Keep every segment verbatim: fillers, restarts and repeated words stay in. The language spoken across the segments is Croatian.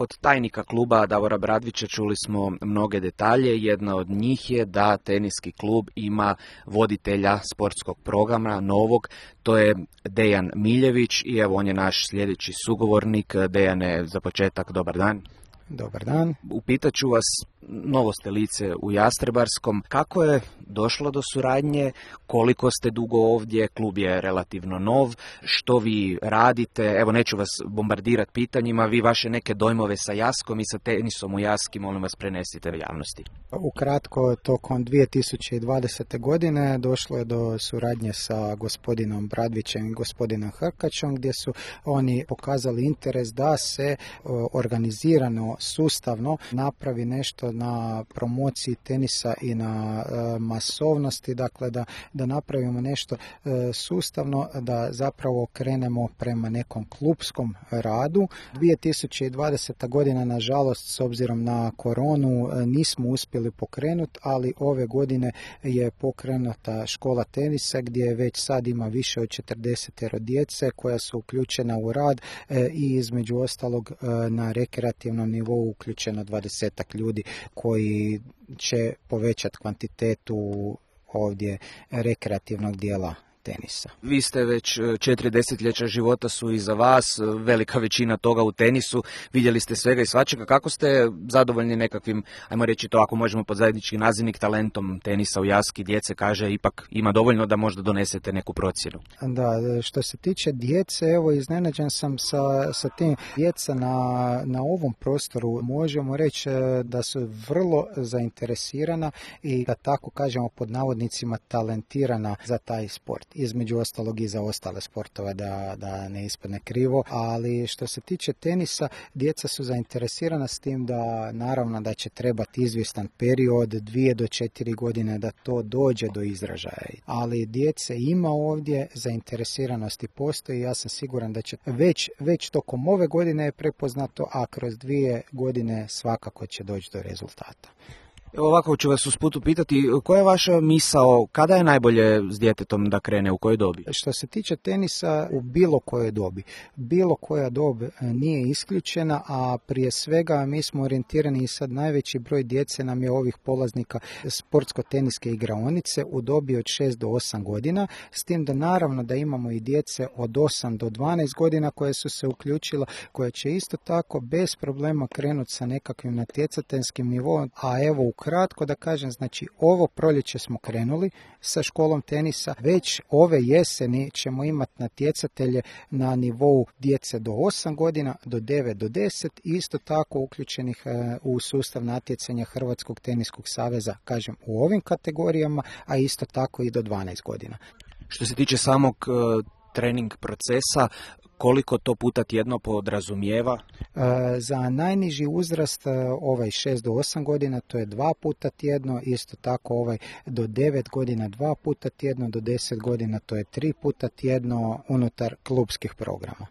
Od tajnika kluba Davora Bradvića čuli smo mnoge detalje. Jedna od njih je da teniski klub ima voditelja sportskog programa, novog, to je Dejan Miljević i evo on je naš sljedeći sugovornik. Dejane, za početak, dobar dan. Dobar dan. Upitat ću vas, novo ste lice u Jastrebarskom, kako je došlo do suradnje, koliko ste dugo ovdje, klub je relativno nov, što vi radite, evo neću vas bombardirati pitanjima, vi vaše neke dojmove sa Jaskom i sa tenisom u Jaski, molim vas prenesite javnosti. Ukratko, tokom dvije tisuće dvadesete. godine došlo je do suradnje sa gospodinom Bradvićem i gospodinom Hrkačom, gdje su oni pokazali interes da se organizirano, sustavno napravi nešto na promociji tenisa i na e, masovnosti, dakle da, da napravimo nešto e, sustavno, da zapravo krenemo prema nekom klupskom radu. dvije tisuće dvadeseta. godina, nažalost, s obzirom na koronu, e, nismo uspjeli pokrenuti, ali ove godine je pokrenuta škola tenisa gdje već sad ima više od četrdeset djece koja su uključena u rad e, i između ostalog e, na rekreativnom nivou uključeno dvadesetak ljudi koji će povećati kvantitetu ovdje rekreativnog dijela tenisa. Vi ste već četiri desetljeća života su iza vas, velika većina toga u tenisu, vidjeli ste svega i svačega. Kako ste zadovoljni nekakvim, ajmo reći to ako možemo pod zajednički nazivnik, talentom tenisa u Jaski? Djece kaže ipak ima dovoljno da možda donesete neku procjenu. Da, što se tiče djece, evo iznenađen sam sa, sa tim. Djeca na, na ovom prostoru možemo reći da su vrlo zainteresirana i da tako kažemo pod navodnicima talentirana za taj sport. Između ostalog i za ostale sportove, da, da ne ispadne krivo, ali što se tiče tenisa, djeca su zainteresirana s tim da naravno da će trebati izvjestan period, dvije do četiri godine da to dođe do izražaja. Ali djece ima ovdje, zainteresiranosti postoji, ja sam siguran da će već, već tokom ove godine je prepoznato, a kroz dvije godine svakako će doći do rezultata. Evo ovako ću vas usput upitati, koja je vaša misao, kada je najbolje s djetetom da krene, u kojoj dobi? Što se tiče tenisa, u bilo kojoj dobi. Bilo koja dob nije isključena, a prije svega mi smo orijentirani i sad najveći broj djece nam je ovih polaznika sportsko-teniske igraonice u dobi od šest do osam godina, s tim da naravno da imamo i djece od osam do dvanaest godina koje su se uključila, koje će isto tako bez problema krenuti sa nekakvim natjecateljskim nivom, a evo u kratko da kažem, znači ovo proljeće smo krenuli sa školom tenisa, već ove jeseni ćemo imati natjecatelje na nivou djece do osam godina, do devet do deset i isto tako uključenih u sustav natjecanja Hrvatskog teniskog saveza, kažem u ovim kategorijama, a isto tako i do dvanaest godina. Što se tiče samog uh, trening procesa, koliko to puta tjedno podrazumijeva? E, za najniži uzrast ovaj šest do osam godina to je dva puta tjedno, isto tako ovaj do devet godina dva puta tjedno, do deset godina to je tri puta tjedno unutar klubskih programa.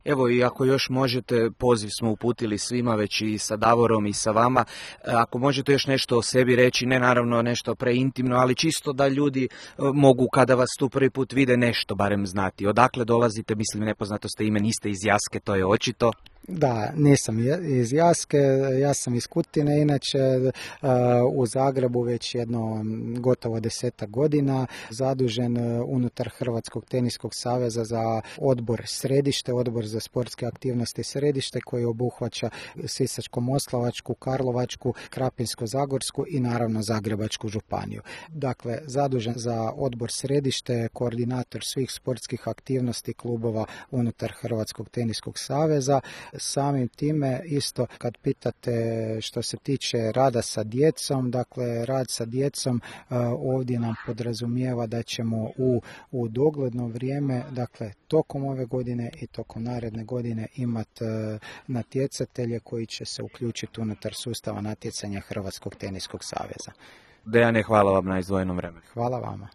Evo i ako još možete, poziv smo uputili svima, već i sa Davorom i sa vama, ako možete još nešto o sebi reći, ne naravno nešto preintimno, ali čisto da ljudi mogu kada vas tu prvi put vide nešto barem znati. Odakle dolazite, mislim nepoznato ste ime, niste iz Jaske, to je očito. Da, nisam iz Jaske, ja sam iz Kutine, inače u Zagrebu već jedno gotovo desetak godina, zadužen unutar Hrvatskog teniskog saveza za odbor središte, odbor za sportske aktivnosti središte koji obuhvaća Sisačko-moslavačku, Karlovačku, Krapinsko-zagorsku i naravno Zagrebačku županiju. Dakle, zadužen za odbor središte, koordinator svih sportskih aktivnosti klubova unutar Hrvatskog teniskog saveza. Samim time isto kad pitate što se tiče rada sa djecom, dakle rad sa djecom ovdje nam podrazumijeva da ćemo u, u dogledno vrijeme, dakle tokom ove godine i tokom naredne godine imati natjecatelje koji će se uključiti unutar sustava natjecanja Hrvatskog teniskog saveza. Dejane, hvala vam na izdvojenom vremenu. Hvala vama.